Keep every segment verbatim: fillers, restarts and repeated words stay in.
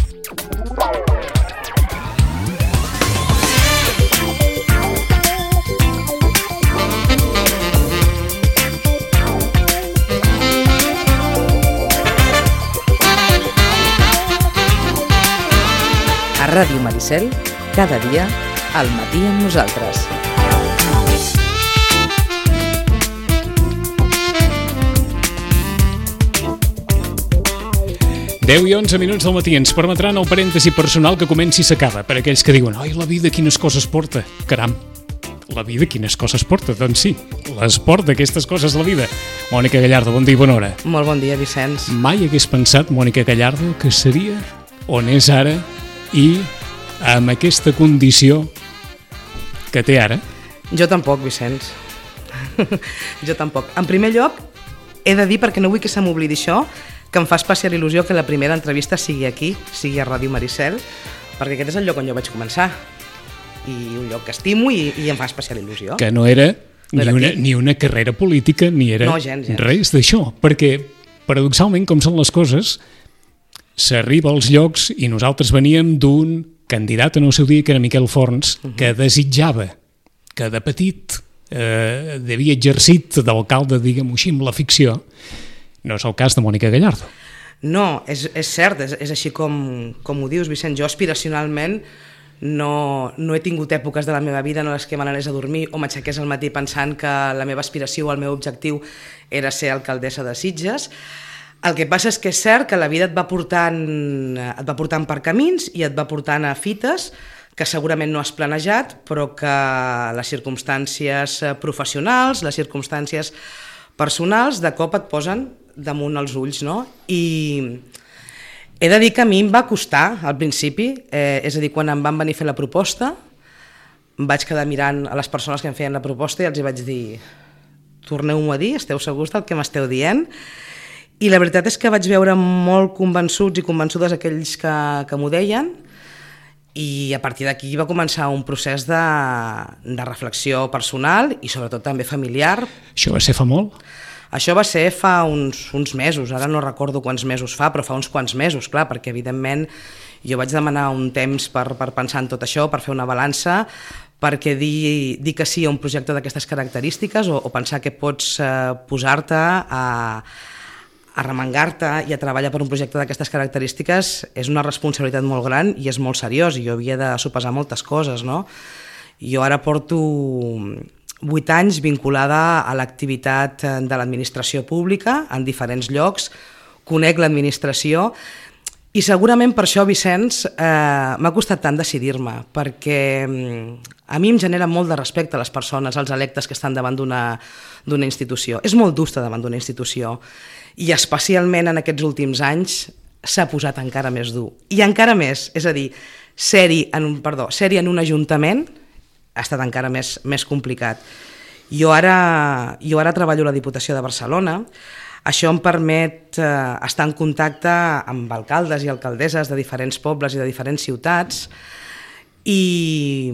A Ràdio Maricel, cada dia, al matí amb nosaltres. deu i onze minuts del matí ens permetran el parèntesi personal que comenci i s'acaba, per aquells que diuen «Ai, la vida quines coses porta!» Caram, la vida quines coses porta? Doncs sí, les porta aquestes coses la vida. Mònica Gallardo, bon dia i bona hora. Molt bon dia, Vicenç. Mai hagués pensat, Mònica Gallardo, que seria on és ara i amb aquesta condició que té ara? Jo tampoc, Vicenç. Jo tampoc. En primer lloc, he de dir, perquè no vull que se m'oblidi això, que em fa especial il·lusió que la primera entrevista sigui aquí, sigui a Ràdio Maricel, perquè aquest és el lloc on jo vaig començar. I un lloc que estimo i, i em fa especial il·lusió. Que no era, no ni, era una, ni una carrera política, ni era no, gens, gens. res d'això. Perquè, paradoxalment, com són les coses, s'arriba als llocs i nosaltres veníem d'un candidat en el seu dia, que era Miquel Forns, uh-huh. que desitjava que de petit eh, havia exercit d'alcalde, diguem-ho així, amb la ficció. No és el cas de Mònica Gallardo. No, és, és cert, és, és així com, com ho dius, Vicent. Jo aspiracionalment no, no he tingut èpoques de la meva vida en les que me n'anés a dormir o m'aixequés al matí pensant que la meva aspiració o el meu objectiu era ser alcaldessa de Sitges. El que passa és que és cert que la vida et va portant, et va portant per camins i et va portant a fites que segurament no has planejat, però que les circumstàncies professionals, les circumstàncies personals, de cop et posen damunt els ulls, no? I he de dir que a mi em va costar al principi, eh, és a dir, quan em van venir a fer la proposta, em vaig quedar mirant a les persones que em feien la proposta i els hi vaig dir torneu-m'ho a dir, esteu segurs del que m'esteu dient? I la veritat és que vaig veure molt convençuts i convençudes aquells que, que m'ho deien, i a partir d'aquí va començar un procés de, de reflexió personal i sobretot també familiar. Això va ser fa molt? Això va ser fa uns, uns mesos, ara no recordo quants mesos fa, però fa uns quants mesos, clar, perquè evidentment jo vaig demanar un temps per, per pensar en tot això, per fer una balança, perquè dir, dir que sí a un projecte d'aquestes característiques o, o pensar que pots eh, posar-te a... arremangar-te i a treballar per un projecte d'aquestes característiques és una responsabilitat molt gran i és molt seriós, i jo havia de sopesar moltes coses, no? Jo ara porto vuit anys vinculada a l'activitat de l'administració pública en diferents llocs, conec l'administració i segurament per això, Vicenç, eh, m'ha costat tant decidir-me, perquè a mi em genera molt de respecte a les persones, als electes que estan davant d'una d'una institució. És molt dur estar davant d'una institució i especialment en aquests últims anys s'ha posat encara més dur. I encara més, és a dir, ser-hi en, un, perdó, ser-hi en un ajuntament ha estat encara més, més complicat. Jo ara, jo ara treballo a la Diputació de Barcelona. Això em permet eh, estar en contacte amb alcaldes i alcaldesses de diferents pobles i de diferents ciutats i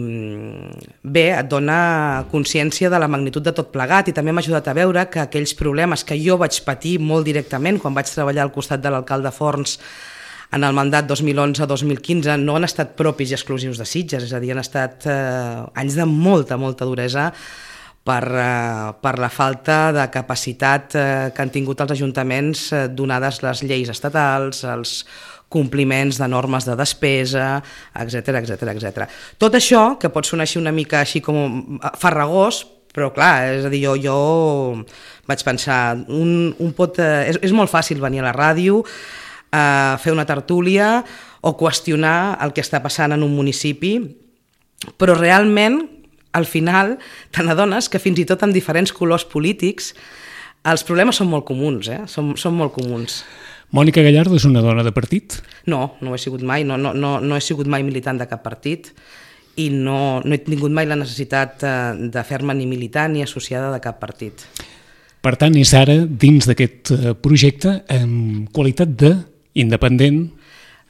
bé, et dona consciència de la magnitud de tot plegat i també m'ha ajudat a veure que aquells problemes que jo vaig patir molt directament quan vaig treballar al costat de l'alcalde Forns en el mandat dos mil onze dos mil quinze no han estat propis i exclusius de Sitges, és a dir, han estat eh, anys de molta, molta duresa per, eh, per la falta de capacitat eh, que han tingut els ajuntaments eh, donades les lleis estatals, els compliments de normes de despesa, etcètera, etcètera, etcètera. Tot això, que pot sonar així una mica així com farragós, però clar, és a dir, jo, jo vaig pensar, un, un pot, eh, és, és molt fàcil venir a la ràdio, eh, fer una tertúlia o qüestionar el que està passant en un municipi, però realment, al final, te n'adones que fins i tot en diferents colors polítics els problemes són molt comuns, eh? són, són molt comuns. Mònica Gallardo és una dona de partit? No, no ho he sigut mai, no, no, no, no he sigut mai militant de cap partit i no, no he tingut mai la necessitat de fer-me ni militant ni associada de cap partit. Per tant, és ara dins d'aquest projecte en qualitat d'independent,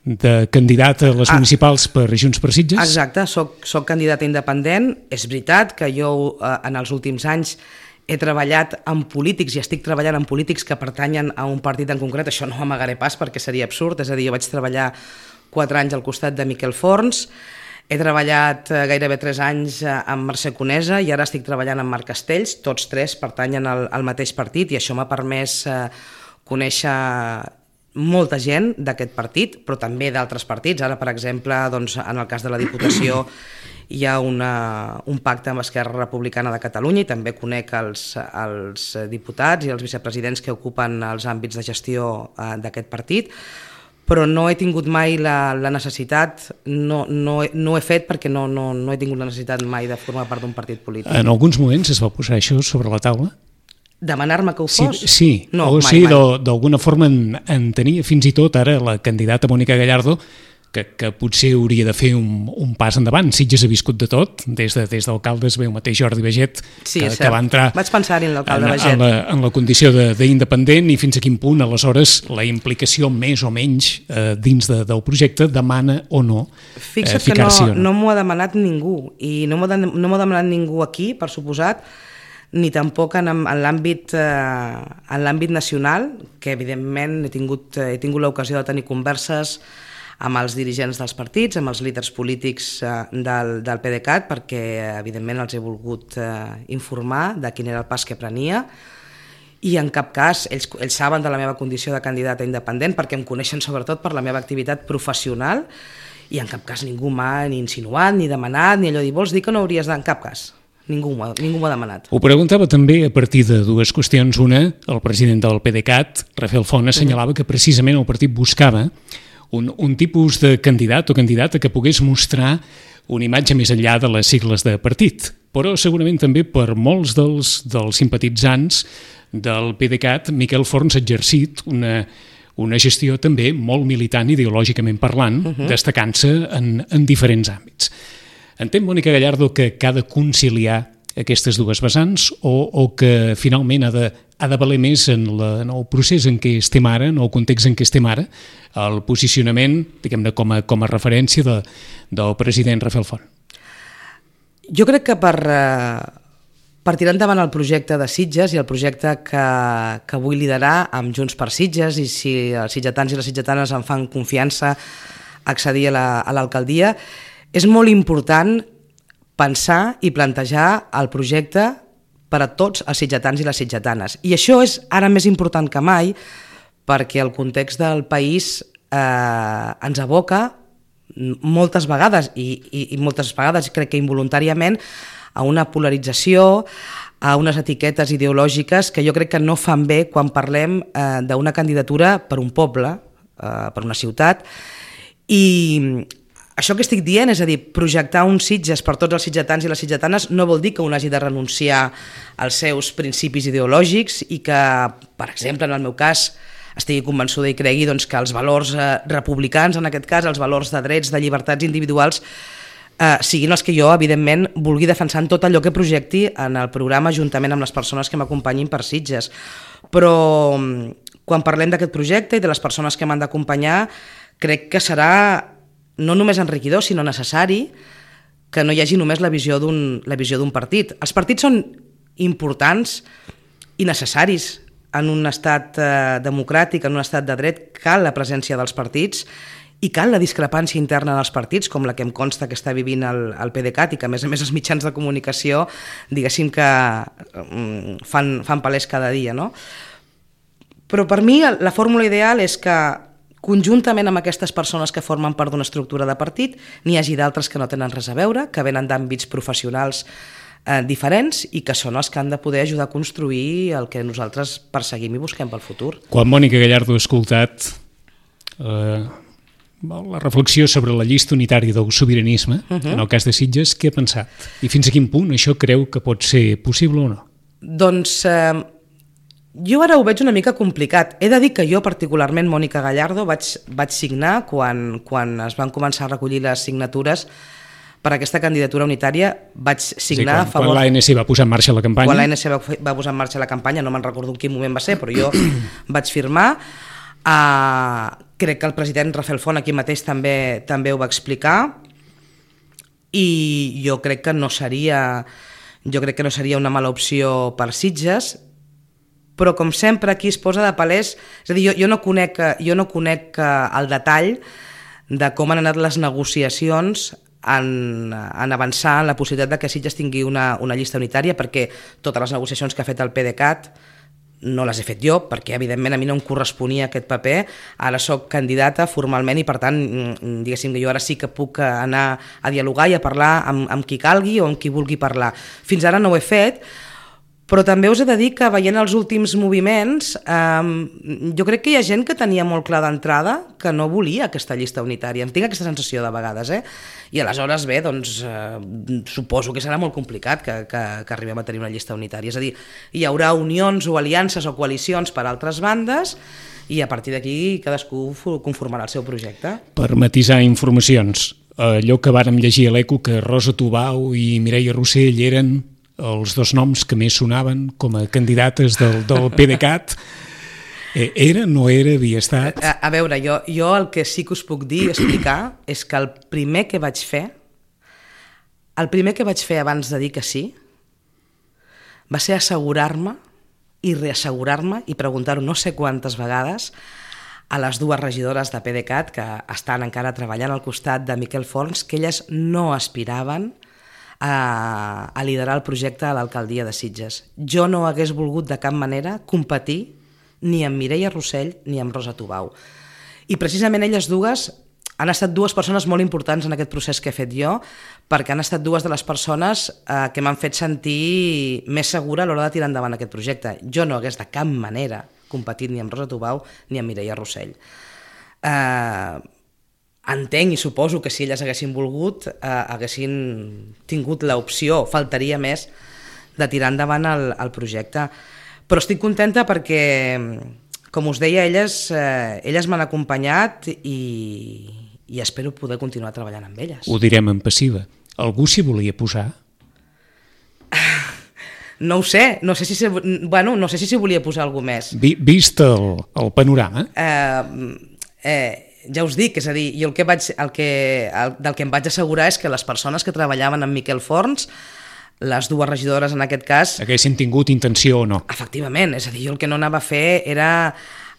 de candidat a les ah, municipals per Junts per Sitges? Exacte, soc, soc candidata independent. És veritat que jo eh, en els últims anys he treballat amb polítics i estic treballant amb polítics que pertanyen a un partit en concret. Això no ho amagaré pas perquè seria absurd, és a dir, jo vaig treballar quatre anys al costat de Miquel Forns, he treballat gairebé tres anys amb Mercè Conesa i ara estic treballant amb Marc Castells, tots tres pertanyen al, al mateix partit i això m'ha permès eh, conèixer molta gent d'aquest partit, però també d'altres partits. Ara, per exemple, doncs, en el cas de la Diputació hi ha una, un pacte amb Esquerra Republicana de Catalunya i també conec els, els diputats i els vicepresidents que ocupen els àmbits de gestió eh, d'aquest partit, però no he tingut mai la, la necessitat, no, no, no he fet perquè no, no, no he tingut la necessitat mai de formar part d'un partit polític. En alguns moments es va posar això sobre la taula? Demanar-me que ho fos? Sí, sí. No, o mai, sí, mai. d'alguna forma en, en tenia fins i tot ara la candidata Mònica Gallardo, que, que potser hauria de fer un, un pas endavant. Sitges ha viscut de tot, des de, des d'alcaldes ve el mateix Jordi Baget, sí, que, cert. que va entrar Vaig pensar-hi en l'alcalde en, Baget. en, la, en la condició d'independent i fins a quin punt, aleshores, la implicació més o menys eh, dins de, del projecte demana o no Fixa't eh, ficar-s'hi que no, o no. no m'ho ha demanat ningú, i no m'ho de, no m'ho ha demanat ningú aquí, per suposat, ni tampoc en, en l'àmbit eh, en l'àmbit nacional, que evidentment he tingut, he tingut l'ocasió de tenir converses amb els dirigents dels partits, amb els líders polítics eh, del, del PDeCAT, perquè evidentment els he volgut eh, informar de quin era el pas que prenia, i en cap cas ells, ells saben de la meva condició de candidata independent, perquè em coneixen sobretot per la meva activitat professional, i en cap cas ningú m'ha ni insinuat, ni demanat, ni allò de dir, vols dir que no hauries de... En cap cas. Ningú m'ho ha demanat. Ho preguntava també a partir de dues qüestions. Una, el president del PDeCAT, Rafael Font, assenyalava que precisament el partit buscava un, un tipus de candidat o candidata que pogués mostrar una imatge més enllà de les sigles de partit. Però segurament també per molts dels, dels simpatitzants del PDeCAT, Miquel Forns ha exercit una, una gestió també molt militant ideològicament parlant, uh-huh. destacant-se en, en diferents àmbits. Entén Mònica Gallardo que ha de conciliar aquestes dues vessants o, o que finalment ha de, ha de valer més en, la, en el procés en què estem ara, en el context en què estem ara, el posicionament, diguem-ne, com a, com a referència de, del president Rafael Font? Jo crec que per, per tirar endavant el projecte de Sitges i el projecte que, que vull liderar amb Junts per Sitges, i si els sitgetans i les sitgetanes em fan confiança a accedir a la, a l'alcaldia, és molt important pensar i plantejar el projecte per a tots els sitgetans i les sitgetanes. I això és ara més important que mai perquè el context del país eh, ens aboca moltes vegades, i, i, i moltes vegades crec que involuntàriament, a una polarització, a unes etiquetes ideològiques que jo crec que no fan bé quan parlem eh, d'una candidatura per un poble, eh, per una ciutat, i això que estic dient, és a dir, projectar un Sitges per tots els sitgetans i les sitgetanes no vol dir que un hagi de renunciar als seus principis ideològics i que, per exemple, en el meu cas, estigui convençuda i cregui doncs, que els valors eh, republicans, en aquest cas, els valors de drets, de llibertats individuals, eh, siguin els que jo, evidentment, vulgui defensar en tot allò que projecti en el programa juntament amb les persones que m'acompanyin per Sitges. Però quan parlem d'aquest projecte i de les persones que m'han d'acompanyar, crec que serà no només enriquidor, sinó necessari que no hi hagi només la visió d'un la visió d'un partit. Els partits són importants i necessaris en un estat eh, democràtic, en un estat de dret. Cal la presència dels partits i cal la discrepància interna dels partits, com la que em consta que està vivint el, el PDeCAT i que, a més a més, els mitjans de comunicació, diguéssim que um, fan, fan palès cada dia, no? Però per mi la fórmula ideal és que conjuntament amb aquestes persones que formen part d'una estructura de partit, n'hi hagi d'altres que no tenen res a veure, que venen d'àmbits professionals eh, diferents i que són els que han de poder ajudar a construir el que nosaltres perseguim i busquem pel futur. Quan Mònica Gallardo ha escoltat eh, la reflexió sobre la llista unitària del sobiranisme, uh-huh. en el cas de Sitges, què ha pensat? I fins a quin punt això creu que pot ser possible o no? Doncs eh, jo ara ho veig una mica complicat. He de dir que jo particularment, Mònica Gallardo, vaig, vaig signar quan, quan es van començar a recollir les signatures per aquesta candidatura unitària, vaig signar sí, quan, a favor... Quan l'A N C va posar en marxa la campanya... Quan l'A N C va, va posar en marxa la campanya, no me'n recordo en quin moment va ser, però jo vaig firmar. Uh, crec que el president Rafael Font aquí mateix també, també ho va explicar, i jo crec que no seria, jo crec que no seria una mala opció per Sitges, però com sempre aquí es posa de palès, és a dir, jo, jo no conec, jo no conec el detall de com han anat les negociacions en, en avançar en la possibilitat de que Sitges tingui una, una llista unitària, perquè totes les negociacions que ha fet el PDeCAT no les he fet jo, perquè evidentment a mi no em corresponia aquest paper, ara sóc candidata formalment i per tant, diguéssim que jo ara sí que puc anar a dialogar i a parlar amb, amb qui calgui o amb qui vulgui parlar. Fins ara no ho he fet, però també us he de dir que veient els últims moviments, eh, jo crec que hi ha gent que tenia molt clar d'entrada que no volia aquesta llista unitària. Em tinc aquesta sensació de vegades, eh? I aleshores, bé, doncs, eh, suposo que serà molt complicat que, que, que arribem a tenir una llista unitària. És a dir, hi haurà unions o aliances o coalicions per altres bandes i a partir d'aquí cadascú conformarà el seu projecte. Per matisar informacions, allò que vàrem llegir a l'Eco, que Rosa Tubau i Mireia Rossell eren els dos noms que més sonaven com a candidates del, del PDeCAT, era, no era, havia estat... A, a veure, jo, jo el que sí que us puc dir, explicar, és que el primer que vaig fer, el primer que vaig fer abans de dir que sí, va ser assegurar-me i reassegurar-me i preguntar-ho no sé quantes vegades a les dues regidores de PDeCAT que estan encara treballant al costat de Miquel Forns, que elles no aspiraven a, a liderar el projecte a l'alcaldia de Sitges. Jo no hagués volgut de cap manera competir ni amb Mireia Rossell ni amb Rosa Tubau. I precisament elles dues han estat dues persones molt importants en aquest procés que he fet jo, perquè han estat dues de les persones eh, que m'han fet sentir més segura a l'hora de tirar endavant aquest projecte. Jo no hagués de cap manera competit ni amb Rosa Tubau ni amb Mireia Rossell. Eh, entenc i suposo que si elles haguessin volgut eh, haguessin tingut l'opció, faltaria més, de tirar endavant el, el projecte. Però estic contenta perquè, com us deia, elles, eh, elles m'han acompanyat i, i espero poder continuar treballant amb elles. Ho direm en passiva. Algú s'hi volia posar? No ho sé, no sé si s'hi bueno, no sé si s'hi volia posar algú més. Vi, vist el, el panorama? Eh, eh, ja us dic, és a dir, jo el que vaig, el que, el, del que em vaig assegurar és que les persones que treballaven amb Miquel Forns, les dues regidores en aquest cas... Haguessin tingut intenció o no. Efectivament, és a dir, jo el que no anava a fer era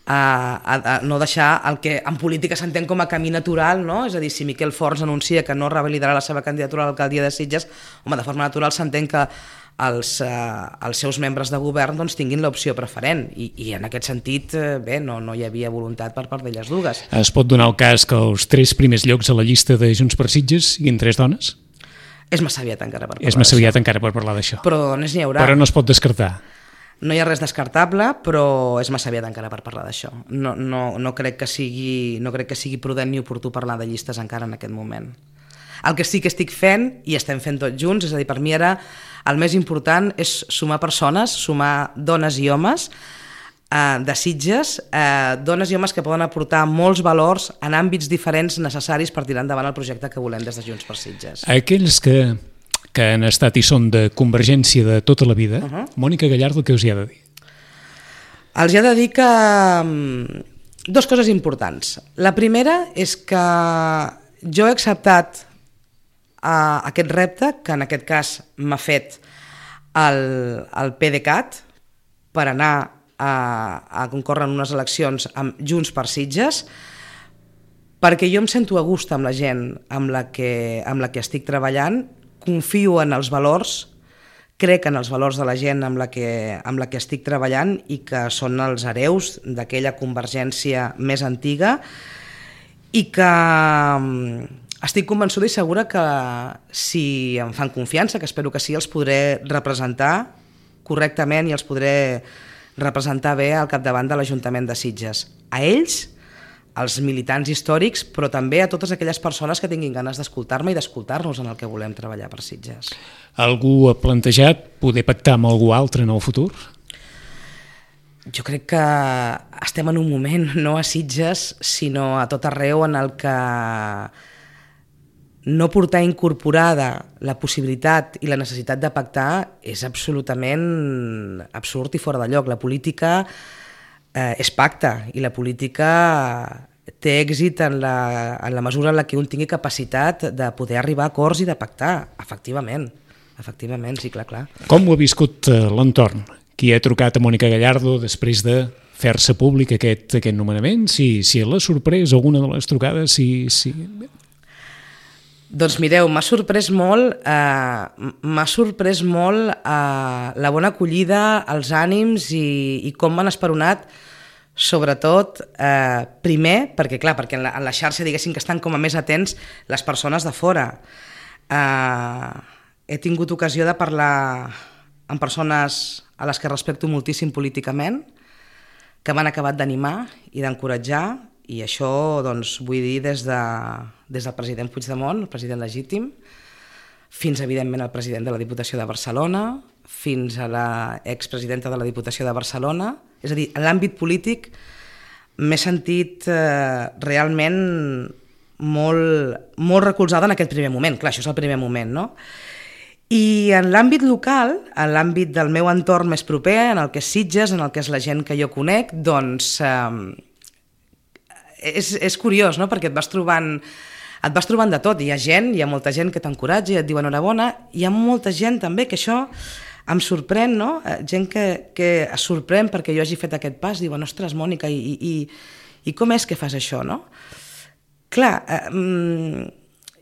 a, a, a no deixar el que en política s'entén com a camí natural, no? És a dir, si Miquel Forns anuncia que no revalidarà la seva candidatura a l'alcaldia de Sitges, home, de forma natural s'entén que els, eh, els seus membres de govern doncs, tinguin l'opció preferent i, i en aquest sentit, eh, bé, no, no hi havia voluntat per part d'elles dues. Es pot donar el cas que els tres primers llocs a la llista de Junts per Sitges siguin tres dones? És massa aviat encara per parlar És massa aviat encara per parlar d'això. Però dones n'hi haurà. Però no es pot descartar. No hi ha res descartable, però és massa aviat encara per parlar d'això. No, no, no, crec que sigui, no crec que sigui prudent ni oportú parlar de llistes encara en aquest moment. El que sí que estic fent, i estem fent tots junts, és a dir, per mi ara el més important és sumar persones, sumar dones i homes eh, de Sitges, eh, dones i homes que poden aportar molts valors en àmbits diferents necessaris per tirar endavant el projecte que volem des de Junts per Sitges. Aquells que, que han estat i són de Convergència de tota la vida, uh-huh. Mònica Gallardo, què us hi ha de dir? Els hi ha de dir que dues coses importants. La primera és que jo he acceptat uh, aquest repte, que en aquest cas m'ha fet el, el PDeCAT, per anar a, a concórrer en unes eleccions amb Junts per Sitges, perquè jo em sento a gust amb la gent amb la que, amb la que estic treballant, confio en els valors, crec en els valors de la gent amb la que, amb la que estic treballant i que són els hereus d'aquella Convergència més antiga i que estic convençuda i segura que si em fan confiança, que espero que sí, els podré representar correctament i els podré representar bé al capdavant de l'Ajuntament de Sitges. A ells, als militants històrics, però també a totes aquelles persones que tinguin ganes d'escoltar-me i d'escoltar-nos en el que volem treballar per Sitges. Algú ha plantejat poder pactar amb algú altre en el futur? Jo crec que estem en un moment, no a Sitges, sinó a tot arreu, en el que no portar incorporada la possibilitat i la necessitat de pactar és absolutament absurd i fora de lloc. La política eh, és pacte i la política té èxit en la, en la mesura en la que un tingui capacitat de poder arribar a acords i de pactar, efectivament. Efectivament, sí, clar, clar. Com ho ha viscut l'entorn? Qui ha trucat a Mònica Gallardo després de fer-se públic aquest, aquest nomenament, si, si l'ha sorprès alguna de les trucades, si... si... Doncs mireu, m'ha sorprès molt, eh, m'ha sorprès molt eh, la bona acollida, els ànims i, i com m'han esperonat, sobretot, eh, primer, perquè clar, perquè en la, en la xarxa diguéssim que estan com a més atents les persones de fora. Eh, he tingut ocasió de parlar amb persones a les que respecto moltíssim políticament, que m'han acabat d'animar i d'encoratjar, i això doncs, vull dir des, de, des del president Puigdemont, el president legítim, fins evidentment al president de la Diputació de Barcelona, fins a l'expresidenta de la Diputació de Barcelona. És a dir, en l'àmbit polític m'he sentit eh, realment molt, molt recolzada en aquest primer moment. Clar, això és el primer moment, no? I en l'àmbit local, en l'àmbit del meu entorn més proper, en el que és Sitges, en el que és la gent que jo conec, doncs... Eh, És, és curiós, no? Perquè et vas trobant et vas trobant de tot, hi ha gent, hi ha molta gent que t'encoratja i et diu enhorabona, hi ha molta gent també que això em sorprèn, no? Gent que, que es sorprèn perquè jo hagi fet aquest pas, diuen, ostres, Mònica, i, i, i com és que fas això, no? Clar, eh,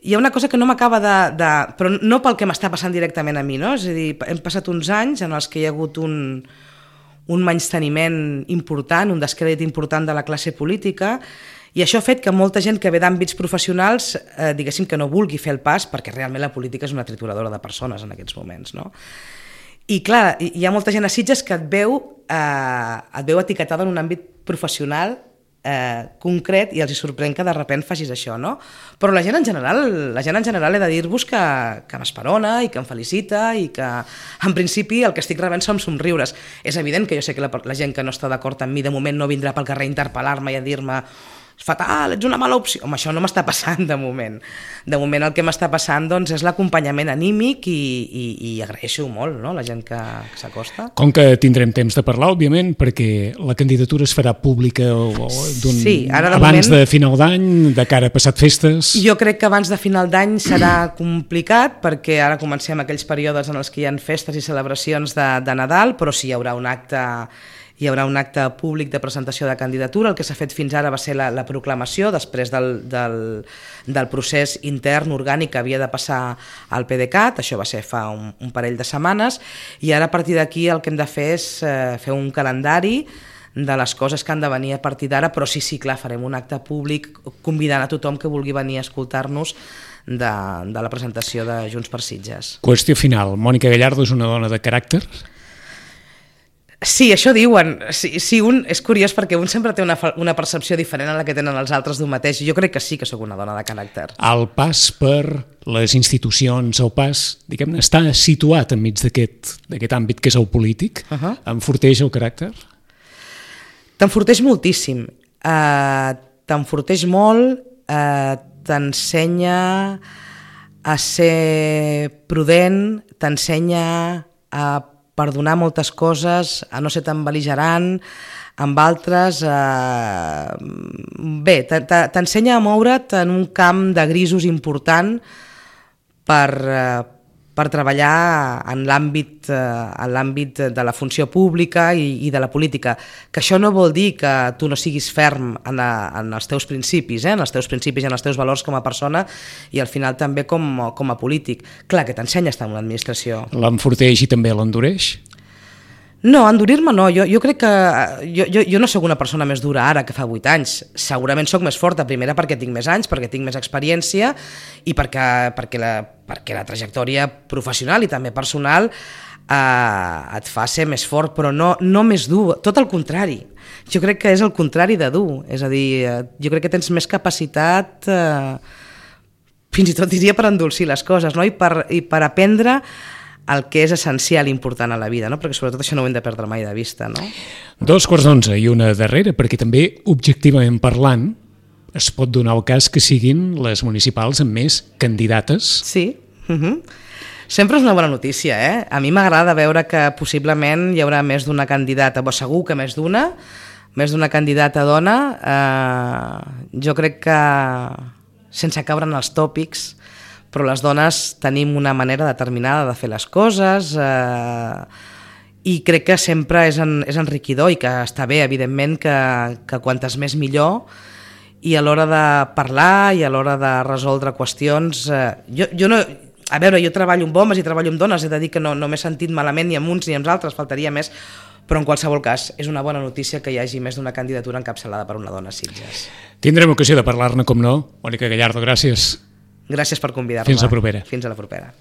hi ha una cosa que no m'acaba de, de... però no pel que m'està passant directament a mi, no? És a dir, hem passat uns anys en els que hi ha hagut un, un menysteniment important, un descrèdit important de la classe política, i això ha fet que molta gent que ve d'àmbits professionals, eh, diguéssim que no vulgui fer el pas, perquè realment la política és una trituradora de persones en aquests moments, no? I clar, hi ha molta gent a Sitges que et veu, eh, et veu etiquetada en un àmbit professional eh, concret i els hi sorprèn que de sobte facis això, no? Però la gent en general, la gent en general he de dir-vos que, que m'esperona i que em felicita i que en principi el que estic rebent són somriures. És evident que jo sé que la, la gent que no està d'acord amb mi de moment no vindrà pel carrer a interpel·lar-me i a dir-me fatal, ets una mala opció. Home, això no m'està passant de moment. De moment el que m'està passant doncs, és l'acompanyament anímic i, i, i agraeixo molt, no?, la gent que, que s'acosta. Com que tindrem temps de parlar, òbviament, perquè la candidatura es farà pública o, sí, ara de abans moment, de final d'any, de cara a passat festes... Jo crec que abans de final d'any serà complicat, perquè ara comencem aquells períodes en els que hi ha festes i celebracions de, de Nadal, però sí hi haurà un acte... hi haurà un acte públic de presentació de candidatura. El que s'ha fet fins ara va ser la, la proclamació després del, del, del procés intern orgànic que havia de passar al PDeCAT, això va ser fa un, un parell de setmanes, i ara a partir d'aquí el que hem de fer és eh, fer un calendari de les coses que han de venir a partir d'ara, però sí, sí, clar, farem un acte públic convidant a tothom que vulgui venir a escoltar-nos de, de la presentació de Junts per Sitges. Qüestió final, Mònica Gallardo és una dona de caràcter? Sí, això diuen. Sí, sí, un, és curiós perquè un sempre té una, una percepció diferent a la que tenen els altres d'un mateix. Jo crec que sí que sóc una dona de caràcter. El pas per les institucions, el pas, diguem-ne, està situat enmig d'aquest àmbit que és el polític, uh-huh. Enforteix el caràcter? T'enforteix moltíssim. Uh, t'enforteix molt, uh, t'ensenya a ser prudent, t'ensenya a perdonar moltes coses, a no ser tan bel·ligerant, amb altres... Eh... Bé, t'ensenya a moure't en un camp de grisos important per, eh, per treballar en l'àmbit eh, en l'àmbit de la funció pública i, i de la política. Que això no vol dir que tu no siguis ferm en, a, en els teus principis, eh? en els teus principis i en els teus valors com a persona i al final també com, com a polític. Clar que t'ensenya a estar en l'administració. L'enforteix i també l'endureix? No, endurir-me no. Jo, jo crec que... Jo, jo, jo no sóc una persona més dura ara que fa vuit anys. Segurament sóc més forta, primera perquè tinc més anys, perquè tinc més experiència i perquè, perquè, la, perquè la trajectòria professional i també personal eh, et fa ser més fort, però no, no més dur, tot el contrari. Jo crec que és el contrari de dur. És a dir, jo crec que tens més capacitat, eh, fins i tot diria per endolcir les coses, no? I, per, i per aprendre el que és essencial i important a la vida, no? Perquè sobretot això no ho hem de perdre mai de vista, no? Dos quarts d'onze i una darrera, perquè també, objectivament parlant, es pot donar el cas que siguin les municipals amb més candidates. Sí, uh-huh. Sempre és una bona notícia, eh? A mi m'agrada veure que possiblement hi haurà més d'una candidata, però segur que més d'una, més d'una candidata dona. Eh, jo crec que, sense caure en els tòpics, però les dones tenim una manera determinada de fer les coses eh, i crec que sempre és, en, és enriquidor i que està bé, evidentment, que, que quantes més millor, i a l'hora de parlar i a l'hora de resoldre qüestions... Eh, jo, jo no... A veure, jo treballo amb homes i treballo amb dones, he de dir que no, no m'he sentit malament ni amb uns ni amb els altres, faltaria més, però en qualsevol cas és una bona notícia que hi hagi més d'una candidatura encapçalada per una dona a Sitges. Tindrem ocasió de parlar-ne, com no. Mònica Gallardo, gràcies. Gràcies per convidar-me. Fins la propera. Fins a la propera.